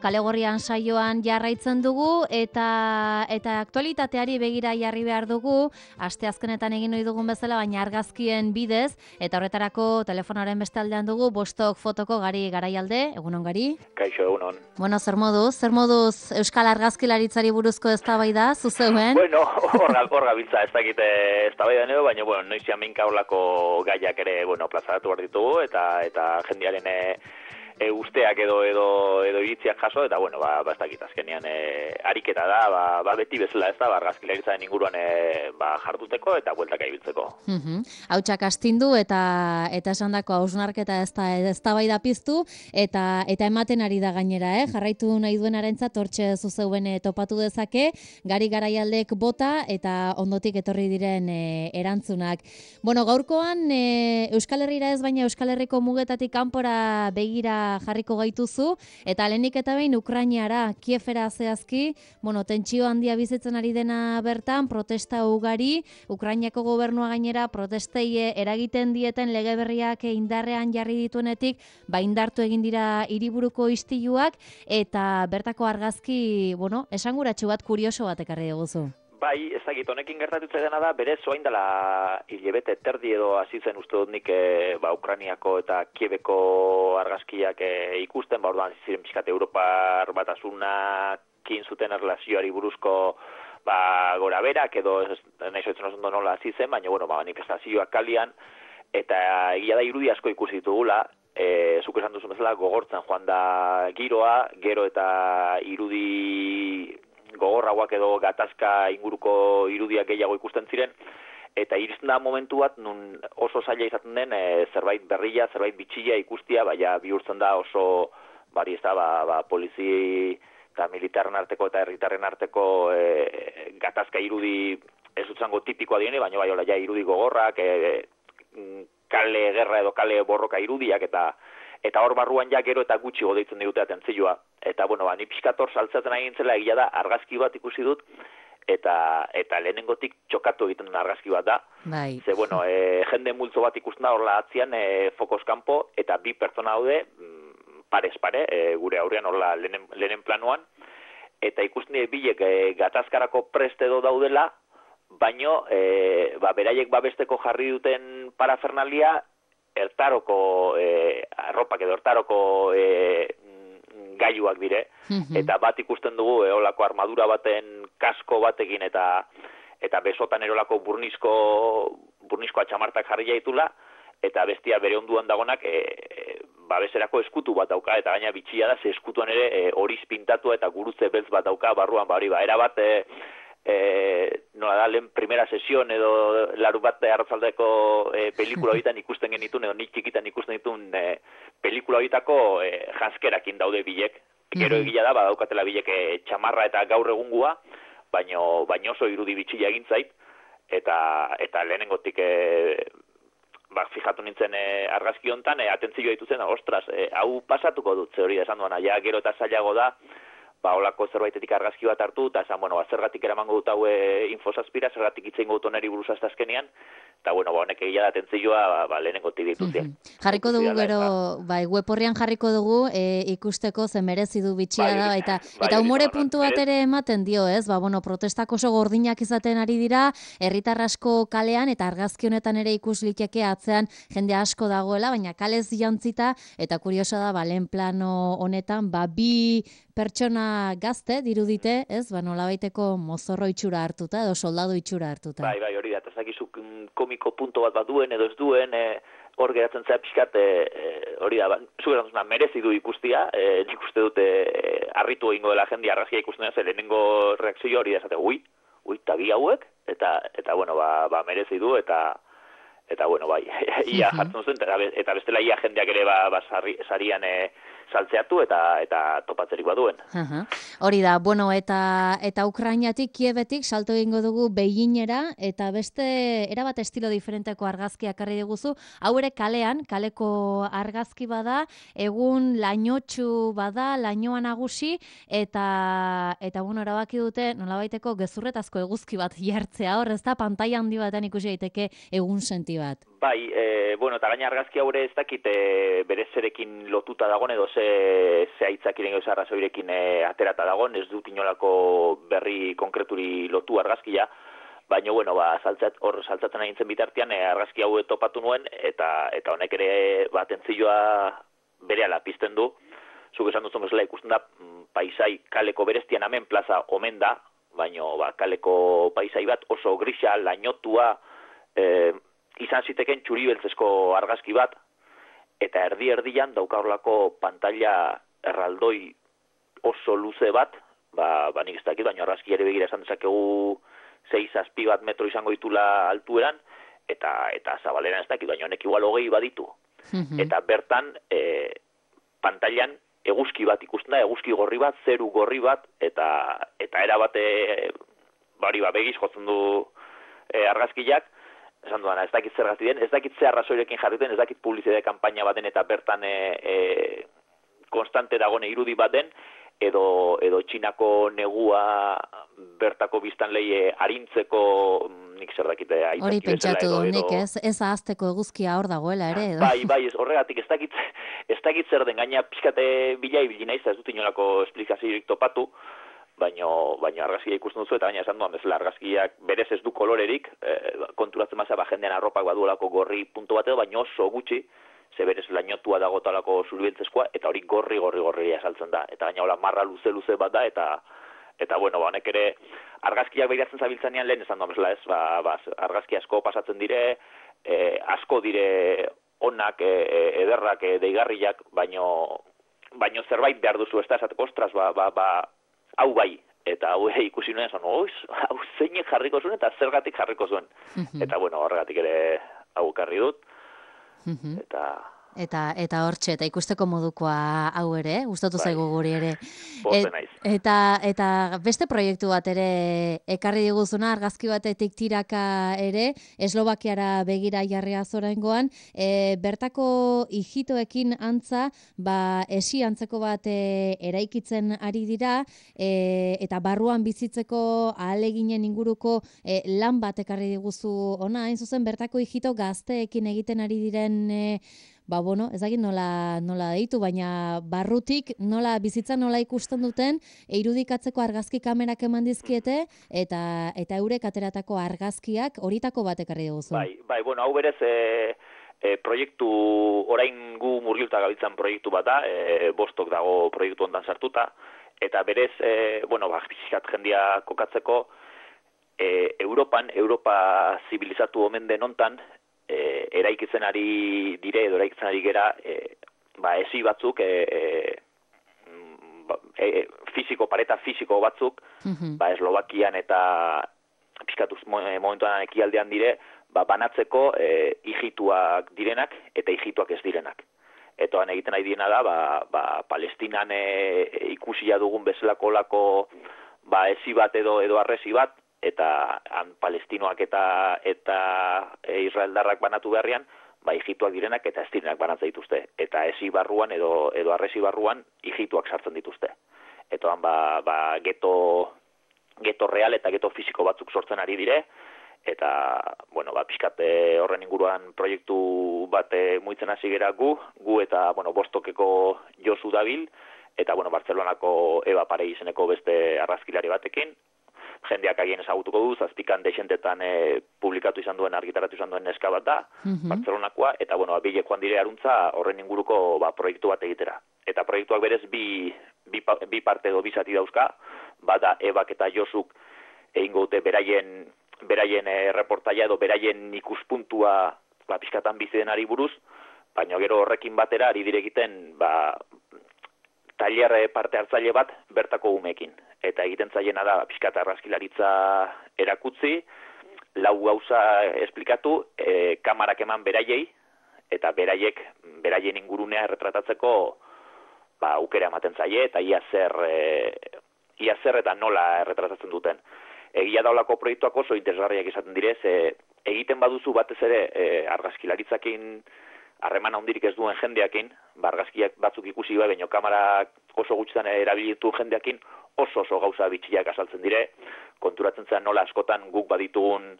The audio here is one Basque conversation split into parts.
Kale Gorrian saioan jarraitzen dugu eta aktualitateari begira jarri behar dugu, asteazkenetan egin ohi dugun bezala, baina argazkien bidez, eta horretarako telefonoaren beste aldean dugu Bostok fotoko Gari Garaialde. Egunon, Gari? Kaixo, egunon. Bueno, zer moduz Euskal Argazkilaritzari buruzko eztabaida zuzeuen? Bueno, hor gabiltza ez dakite eztabaida neo, baina noizian minka horlako gaiak ere, plazaratu behar ditugu eta jendearen usteak edo iritziak jaso, eta ez dakit azkenean ariketa da, beti bezala ez da, argazkilaritzaren inguruan jarduteko eta bueltaka ibiltzeko. Hautsak astindu eta esandako hausnarketa eztabaida piztu eta ematen ari da gainera, jarraitu nahi duenarentzat hortxe zuzeuen topatu dezake, Gari Garaialdek bota eta ondotik etorri diren erantzunak. Bueno, gaurkoan Euskal Herrira ez, baina Euskal Herriko mugetatik kanpora begira jarriko gaituzu, eta lehenik eta behin Ukrainara, Kievera zehazki, tentsio handia bizitzen ari dena bertan, protesta ugari, Ukrainako gobernua gainera protestei eragiten dieten lege berriak indarrean jarri dituenetik, indartu egin dira hiriburuko istiluak, eta bertako argazki, esanguratsu bat, kurioso bat ekarri duguzu. Bai, ez dakit, honekin gertatutze dena da, berez oain dela hilebete terdi edo hasi zen uste dut nik Ukrainiako eta Kieveko argazkiak ikusten, orduan ziren pixkat Europar batasunakin zuten erlazioari buruzko gora berak, edo nahi zoitzen oso nola hasi zen, baina manifestazioak kalian, eta egia da irudi asko ikusi ditugula, zuk esan duzu bezala gogortzen joan da giroa, gero eta irudi gogorrauak edo gatazka inguruko irudiak gehiago ikusten ziren, eta iristen da momentu bat nun oso zaila izaten den zerbait berria, zerbait bitxia ikustia, bihurtzen da oso polizi eta militarren arteko eta herritarren arteko gatazka irudi ez utzango tipikoa diene, baina irudi gogorrak, kale gerra edo kale borroka irudiak, eta hor barruan gero eta gutxi godeitzen digute atentzioa. Eta, ni pixkator saltzaten egin zela, egia da, argazki bat ikusi dut, eta lehenengotik txokatu egiten duen argazki bat da. Bai. Ze, jende multzo bat ikusten da horla atzian fokoz kanpo, eta bi pertsona daude, parez pare, gure aurrean horla lehenen planuan, eta ikusten dira bilek gatazkarako prest edo daudela, baino, beraiek babesteko jarri duten parafernalia, ertaroko arropak edo ertaroko gailuak dire, eta bat ikusten dugu eolako armadura baten kasko batekin eta besotan erolako burnizko atxamartak jarri jaitula, eta bestia bere onduan dagonak babeserako eskutu bat dauka, eta gaina bitxia da, ze eskutuan ere horiz pintatu eta gurutze beltz bat dauka barruan, erabat nola da, lehen primera sesion edo laru bat arratzaldeko pelikula horietan ikusten genitun, edo nik txikitan ikusten ditun pelikula horietako janskerakin daude bilek. Gero egia da, badaukatela bilek txamarra eta gaur egungua, baina oso irudi bitxila egin zait, eta lehenengotik fijatu nintzen argazki hontan, atentzioa dituzen, ostras, hau pasatuko dut, ze hori da esan duana, gero eta zailago da, holako zerbaitetik argazki bat hartu, eta esan, zergatik eramango dut hau infosazpira, zergatik itzein gotu neri buruz azkenean, eta honek egia da atentzioa lehenengotik dituzien. Jarriko dugu gero, web horrian jarriko dugu, ikusteko ze merezi du bitxia da, eta umore puntu bat ere ematen dio, ez? Protestak oso gordinak izaten ari dira, herritar asko kalean, eta argazki honetan ere ikus liteke atzean jende asko dagoela, baina kalez jantzita, eta kuriosa da, lehen plano honetan, bi pertsona gazte dirudite, ez? Nolabaiteko mozorro itxura hartuta, edo soldadu itxura hartuta. Bai, hori da, eta zakizuk komiko punto bat duen edo ez duen, hor geratzen zera pixkat, hori da, zugeran merezi du ikustia, nik uste dute harritu egingo dela jendia argazkia ikusten da, lehenengo reakzio hori da, esate, tagi hauek, eta merezi du, eta ia jartzen zen, eta bestela ia jendeak ere sarian saltzeatu eta topatzerik baduen. Hori da, eta Ukrainatik, Kievetik salto egingo dugu Beijingera, eta beste erabat estilo diferenteko argazkiak karri diguzu, hau ere kalean, kaleko argazki bada, egun lainotxu bada, lainoa nagusi, eta erabaki dute nolabaiteko gezurretazko eguzki bat jartzea hor, ez da, pantaila handi batean ikusi daiteke egun senti bat. Bai, bueno, eta gaina argazki haure ez dakit bere zerekin lotuta dagoen edo ze aitzakiren edo arrazoirekin aterata dagoen, ez dut inolako berri konkreturi lotu argazkia, baina, bueno, saltzatzen agintzen bitartean argazki hau topatu nuen, eta honek ere atentzioa berehala pizten du. Zuk esan duzun bezala ikusten da paisai kaleko bereztian hemen plaza omen da, baina kaleko paisai bat oso grisa, lainotua, izan ziteken txuri-beltzezko argazki bat, eta erdi-erdian daukaurlako pantalla erraldoi oso luze bat, nik ez dakit, baina argazki ere begira esan dezakegu 6-7 bat metro izango ditula altueran, eta zabaleran ez dakit, baina honek igual 20 baditu. Eta bertan, pantailan eguzki bat ikusten da, eguzki gorri bat, zeru gorri bat, eta erabate, begiz jotzen du argazkiak, esan duana, ez dakit zergatik den, ez dakit zer arrazoirekin jarriten, ez dakit publizitate kanpaina baten eta bertan konstante dagoen irudi baten, edo Txinako negua bertako biztanleie arintzeko nik zer dakite aitzaki. Hori pentsatu nik ez ahazteko eguzkia hor dagoela ere edo. Bai, horregatik ez dakit zer den, gaina pixkate bilai naiz, ez dut inolako esplikaziorik topatu, baina argazkia ikusten duzu, eta baina esan duan bezala argazkiak berez ez du kolorerik, konturatzen mazera jendean arropak baduelako gorri puntu bat edo, baina oso gutxi, ze berez lainotua dagotalako zuribentzezkoa, eta hori gorri asaltzen da. Eta baina hola marra luze bat da, eta bueno, honek ere argazkiak behiratzen zabiltzanean lehen esan duan bezala ez, argazki asko pasatzen dire, asko dire onak, ederrak, deigarriak, baina zerbait behar duzu, ez da esateko, ostras, hau bai, eta hau ikusi nuen, hau zeinek jarriko zuen, eta zergatik jarriko zuen. Eta bueno, horregatik ere hau ekarri dut, Eta hortxe, eta ikusteko modukoa hau ere, gustatu zaigu guri ere. Eta beste proiektu bat ere ekarri diguzuna, argazki batetik tiraka ere, Eslovakiara begira jarria zoraingoan, bertako ijitoekin antza, esi antzeko bat eraikitzen ari dira, eta barruan bizitzeko ahaleginen inguruko lan bat ekarri diguzu ona, hain zuzen bertako ijito gazteekin egiten ari diren ez dakit nola deitu, baina barrutik nola bizitza nola ikusten duten, irudikatzeko argazki kamerak eman dizkiete, eta eurek ateratako argazkiak horitako bat ekarri duzu. Bai, bueno, hau berez proiektu, orain gu murgilta gabiltzan proiektu bat da, Bostok dago proiektu ondan sartuta, eta berez, bizkat jendia kokatzeko, Europa zibilizatu omen den hontan, eraikitzen ari dire edo eraikitzen ari gera esi batzuk pareta fisiko batzuk Eslovakian eta pixkatuz momentuan ekialdean dire banatzeko ijituak direnak eta ijituak ez direnak. Eta egiten ari direna da Palestinan ikusia dugun bezalako lako esi bat edo arresi bat, eta palestinoak eta israeldarrak banatu beharrian, ijituak direnak eta ez direnak banatzen dituzte. Eta esi barruan edo arresi barruan ijituak sartzen dituzte. Eta geto real eta geto fisiko batzuk sortzen ari dire, eta, pixkat horren inguruan proiektu bat muitzen hasi gera gu eta, Bostokeko Josu dabil, eta, Bartzelonako Eba Parei izeneko beste argazkilari batekin, jendeak agien ezagutuko du, zazpikan deixentetan publikatu izan duen, argitaratu izan duen neska bat da, Bartzelonakoa, eta, bilek joan dire aruntza horren inguruko proiektu bat egitera. Eta proiektuak berez bi parte edo bi zati dauzka, bada Ebak eta Josuk egingo dute beraien reportaia edo beraien ikuspuntua pixkatan bizi denari buruz, baina gero horrekin batera ari dire egiten tailer parte hartzaile bat bertako umeekin. Eta egiten zaiena da pixkat argazkilaritza erakutzi, 4 gauza esplikatu, kamarak eman beraiei, eta beraien ingurunea erretratatzeko aukera ematen zaie, eta ia zer eta nola erretratatzen duten. Egia daulako proiektuak oso interesgarriak izaten direz, egiten baduzu batez ere argazkilaritzakin harreman handirik ez duen jendeakin, argazkiak batzuk ikusi baino kamarak oso gutxitan erabilitu jendeakin, oso gauza bitxiak azaltzen dire, konturatzen zen nola askotan guk baditugun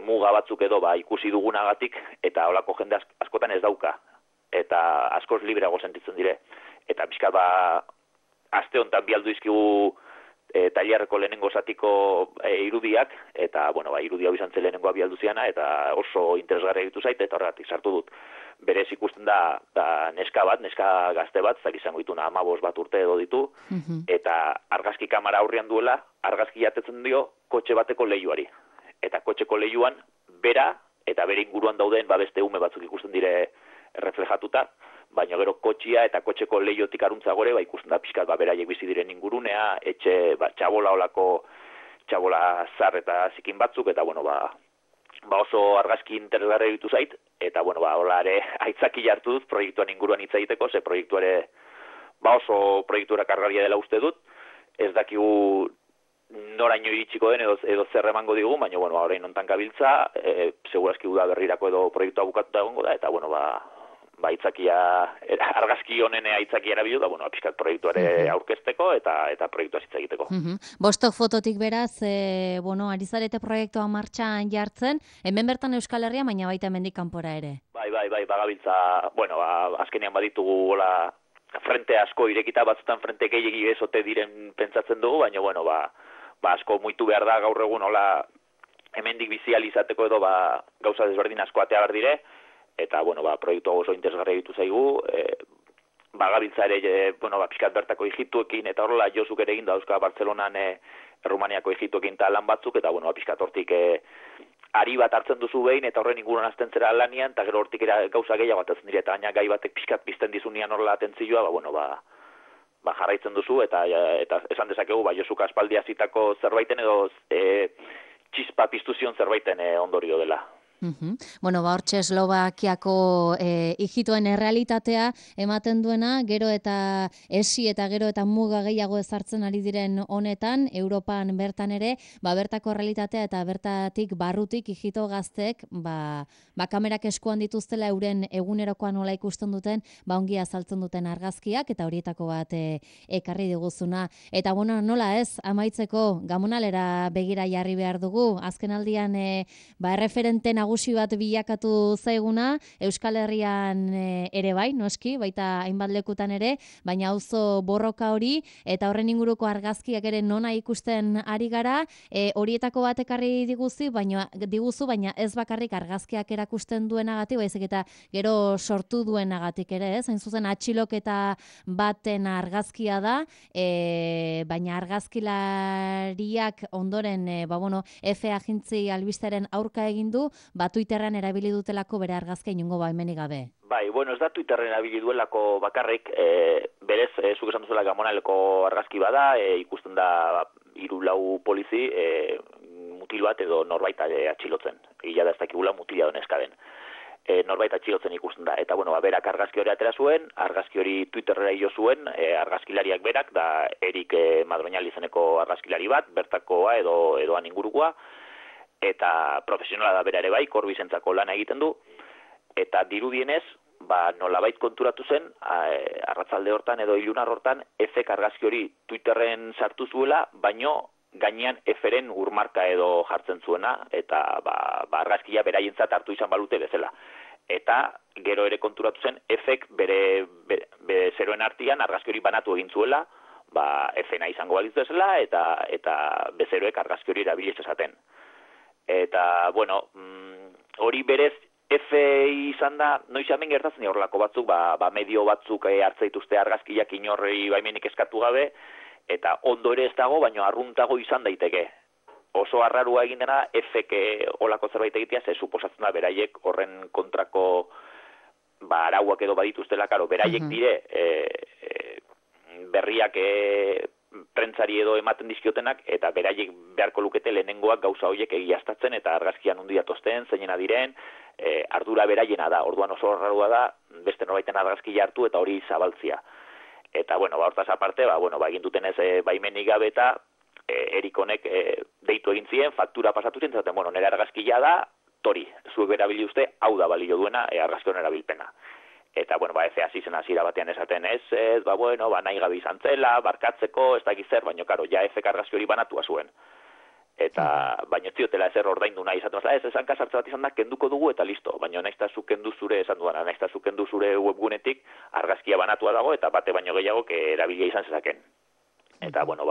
muga batzuk edo ikusi dugunagatik, eta holako jende askotan ez dauka, eta askoz libreago sentitzen dire. Eta pixka aste honetan bi aldu izkigu tailerreko lehenengo zatiko irudiak, eta, irudi hau izan zen lehenengoa bi aldu ziana, eta oso interesgarria ditu zait, eta horregatik sartu dut. Berez ikusten da neska gazte bat, zak izango dituna 15 bat urte edo ditu, eta argazki kamera aurrean duela, argazki jatetzen dio kotxe bateko leihoari. Eta kotxeko leihoan, bera, eta bere inguruan dauden beste ume batzuk ikusten dire reflejatuta, baina gero kotxia eta kotxeko leihotik aruntza gore, ikusten da pixkat beraiek bizi diren ingurunea, etxe txabola olako, txabola zar eta zikin batzuk, eta oso argazki interesgarri ditu zait, eta hola ere aitzaki hartu dut proiektuan inguruan hitz egiteko, ze proiektuare oso proiektura kargaria dela uste dut, ez dakigu noraino iritsiko den edo zer emango digu, baina orain hontan gabiltza, segurazki uda berrirako edo proiektua bukatuta egongo da, eta argazki honen aitzakia erabildu da, pixkat proiektuare aurkezteko eta proiektua hitz egiteko. Bostok fototik beraz, ari zarete proiektua martxan jartzen, hemen bertan Euskal Herria, baina baita hemendik kanpora ere. Bai, bagabiltza, azkenean baditugu hola frente asko irekita, batzutan frente gehiegi ezote diren pentsatzen dugu, baina asko muitu behar da gaur egun hola hemendik bizializateko edo gauza desberdin asko atea behar dire, eta proiektu oso interesgarria ditu zaigu, bagabiltza ere, pixkat bertako Egiptuekin, eta horrela Josuk ere egin dauzka Bartzelonan Errumaniako Egiptuekin eta lan batzuk, eta pixkat hortik ari bat hartzen duzu behin, eta horren inguruan azten zera lanian, eta gero hortik gauza gehiago atatzen dire, eta gaina gai batek pixkat pizten dizunian horrela atentzioa, jarraitzen duzu, eta esan dezakegu, Josuk aspaldi hasitako zerbaiten edo txispa piztu zion zerbaiten ondorio dela. Hortxe Eslovakiako ijitoen errealitatea ematen duena, gero eta esi eta gero eta muga gehiago ezartzen ari diren honetan, Europan bertan ere, bertako errealitatea eta bertatik barrutik ijito gazteek, kamerak eskuan dituztela euren egunerokoan nola ikusten duten, ongi azaltzen duten argazkiak, eta horietako bat ekarri diguzuna. Eta nola ez, amaitzeko Gamonalera begira jarri behar dugu, azken aldian erreferente nagusi bat bilakatu zaiguna, Euskal Herrian ere bai, noski, baita hainbat lekutan ere, baina auzo borroka hori, eta horren inguruko argazkiak ere nona ikusten ari gara, horietako bat ekarri diguzu, baina ez bakarrik argazkiak erakusten duenagatik, baizik eta gero sortu duenagatik ere, ez? Hain zuzen atxiloketa baten argazkia da, baina argazkilariak ondoren, F agintzi albisteren aurka egin du, Twitterren erabili dutelako bere argazkia inongo baimenik gabe. Bai, ez da Twitterren erabili duelako bakarrik, berez, zuk esan duzula Gamonaleko argazki bada, ikusten da 3-4 polizi mutil bat edo norbait atxilotzen. Ila da ez dakigula mutila do neska den. Norbait atxilotzen ikusten da. Eta, berak argazki hori atera zuen, argazki hori Twitterrera jo zuen, argazkilariak berak, da Erik Madroñal izeneko argazkilari bat, bertakoa edo han ingurukoa, eta profesionala da bera ere bai, korbizentzako lana egiten du, eta dirudienez, nolabait konturatu zen, arratzalde hortan edo ilunar hortan, F-ek argazki hori Twitterren sartu zuela, baino gainean F-ren urmarka edo jartzen zuena, eta argazkia beraientzat hartu izan balute bezala. Eta gero ere konturatu zen, F-ek bere zeroen artian argazki hori banatu egin zuela, F-na izango balitzu bezala, eta bezeroek argazki hori erabiliz esaten. Eta, hori berez, F izan da, noiz hemen gertatzen horrelako batzuk, medio batzuk hartzaituzte argazkiak inorri baimenik eskatu gabe, eta ondo ere ez dago, baina arruntago izan daiteke. Oso arrarua egin dena, F-ek olako zerbait egitea, ze suposatzen da, beraiek horren kontrako arauak edo badituztela, beraiek dire, berriak prentzari edo ematen dizkiotenak, eta beraiek beharko lukete lehenengoak gauza horiek egiaztatzen, eta argazkian undia tosten, zeinena diren, ardura beraiena da, orduan oso arrarua da, beste norbaiten argazkia hartu eta hori zabaltzia. Eta, hortaz aparte, egin duten ez baimenik gabe eta Erik honek deitu egin ziren, faktura pasatu zen, zaten, nire argazkia da, tori, zuek erabili uste, hau da balio duena argazkion erabilpena. Eta, F hasi zen hasiera batean esaten nahi gabe izan zela, barkatzeko, ez dakiz zer, baina, F-ek argazki hori banatua zuen. eta baino ez ziotela ezer ordaindu nahi izaten ez hanka sartze bat izan da kenduko dugu eta listo, baino naizta zu kendu zure esan duana, naizta zu kendu zure webgunetik argazkia banatua dago eta bate baino gehiago erabilia izan zezaken. Eta bueno,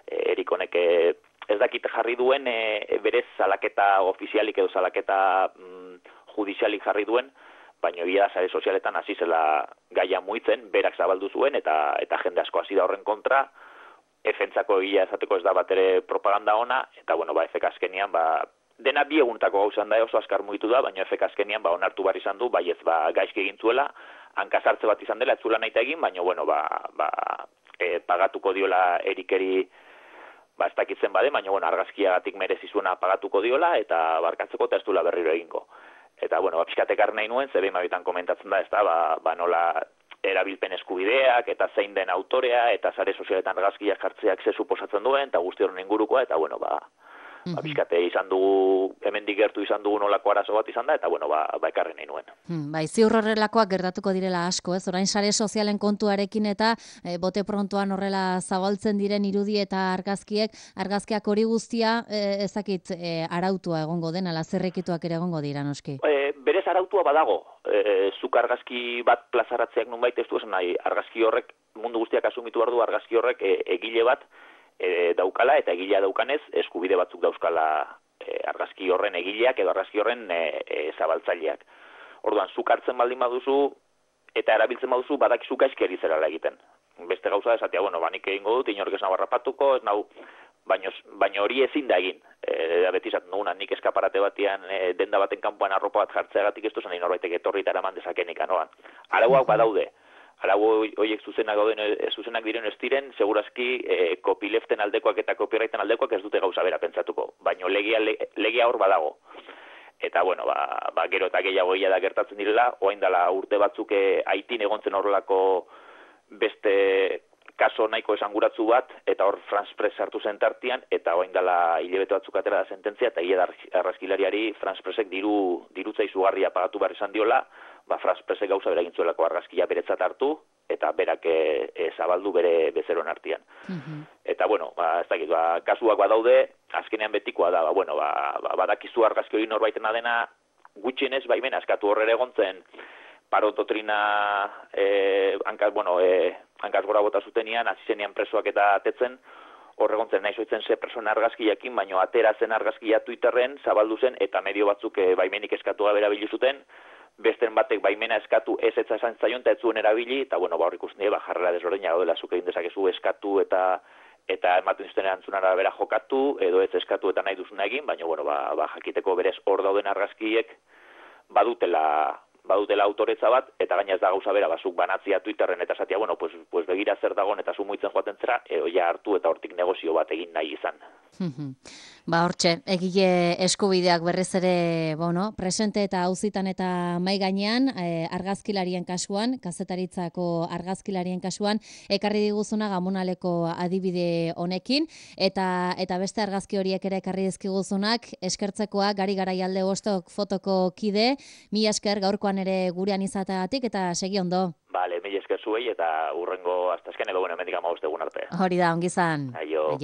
Erik honek ez dakit jarri duen berez salaketa ofizialik edo salaketa judizialik jarri duen, baina egia sare sozialetan hasi zela gaia muitzen, berak zabaldu zuen eta jende asko hasi da horren kontra. Efentzako egia esateko ez da bat ere propaganda ona, eta bueno, efek azkenian, dena bi eguntako gauzan da oso askar mugitu da, baina efek azkenian onartu bar izan du, ez gaizki egin zuela, hankasartze bat izan dela, ez zuela nahi egin, baina bueno, pagatuko diola Erikeri, ez dakitzen bade, baina bueno, argazkiagatik merezi zuena pagatuko diola, eta barkatzeko eta ez duela berriro egingo. Eta bueno, pixkatekar nahi nuen, zebein mabitan komentatzen da, ez da, nola erabilpen eskubideak, eta zein den autorea, eta sare sozialetan argazkiak jartzeak ze suposatzen duen, eta guzti horren ingurukoa, eta bueno, pixkate izan dugu, hemendik gertu izan dugu nolako arazo bat izan da, eta bueno, ekarri nahi nuen. Ziur horrelakoak gertatuko direla asko, ez? Orain sare sozialen kontuarekin eta bote prontoan horrela zabaltzen diren irudi eta argazkiak hori guztia, ezakit arautua egongo den, ala zerrekituak ere egongo dira, noski? Berez arautua badago, zuk argazki bat plazaratzeak nunbait ez du esan nahi, argazki horrek, mundu guztiak asumitu behar du argazki horrek egile bat daukala, eta egilea daukanez eskubide batzuk dauzkala argazki horren egileak edo argazki horren zabaltzaileak. Orduan, zuk hartzen baldin baduzu eta erabiltzen baduzu badakizu gaizki ari zerala egiten. Beste gauza esatea, bueno, nik egingo dut, inork ez nau harrapatuko, ez nau, baina hori ezin da egin. Beti esaten duguna, nik eskaparate batean denda baten kanpoan arropa bat jartzeagatik ez duzan norbaitek etorri eta eraman dezakenik anoan. Arauak badaude. Arau horiek zuzenak diren ez diren, segurazki copyleften aldekoak eta copyrighten aldekoak ez dute gauza bera pentsatuko, baina legia hor badago. Eta bueno, gero eta gehiago da gertatzen direla, orain dela urte batzuk Haitin egontzen horrelako beste kaso nahiko esanguratsu bat, eta hor France Press sartu zen tartian, eta orain dela hilabete batzuk atera da sententzia, eta hile argazkilariari France Pressek dirutza izugarria pagatu behar izan diola, France Pressek gauza bera egin zuelako argazkia beretzat hartu, eta berak zabaldu bere bezeroen artean. Eta bueno, ez dakit, kasuak badaude, azkenean betikoa da, badakizu argazki hori norbaitena dena, gutxienez baimena eskatu horrere egontzen, paro doktrina hankaz gora bota zutenean, hasi zenean presoak eta atetzen, horregontzen nahi zoitzen ze persona argazkiakin, baino atera zen argazkia Twitterren, zabaldu zen, eta medio batzuk baimenik eskatu gabe erabili zuten, besten batek baimena eskatu ez esan zaion, eta ez zuen erabili, eta hor ikusten jarrera desberdina gaudela, zuk egin dezakezu eskatu eta ematen zuten erantzunara bera jokatu, edo ez eskatu eta nahi duzuna egin, baina jakiteko berez hor dauden argazkiek badutela autoretza bat, eta gaina ez da gauza bera, zuk banatzia Twitterren eta esatia, pues begira zer dagoen eta zu muitzen joaten zera, ja hartu eta hortik negozio bat egin nahi izan. Hortxe, egile eskubideak berriz ere, presente eta auzitan eta mai gainean, argazkilarien kasuan, kazetaritzako argazkilarien kasuan, ekarri diguzuna Gamonaleko adibide honekin, eta beste argazki horiek ere ekarri dizkiguzunak, eskertzekoa, Gari Garaialde Bostok fotoko kide, mila esker gaurkoan ere gurean izateagatik, eta segi ondo. Mila esker zuei, eta urrengo astazken edo hemendik 15 egun arte. Hori da, ongizan. Aio.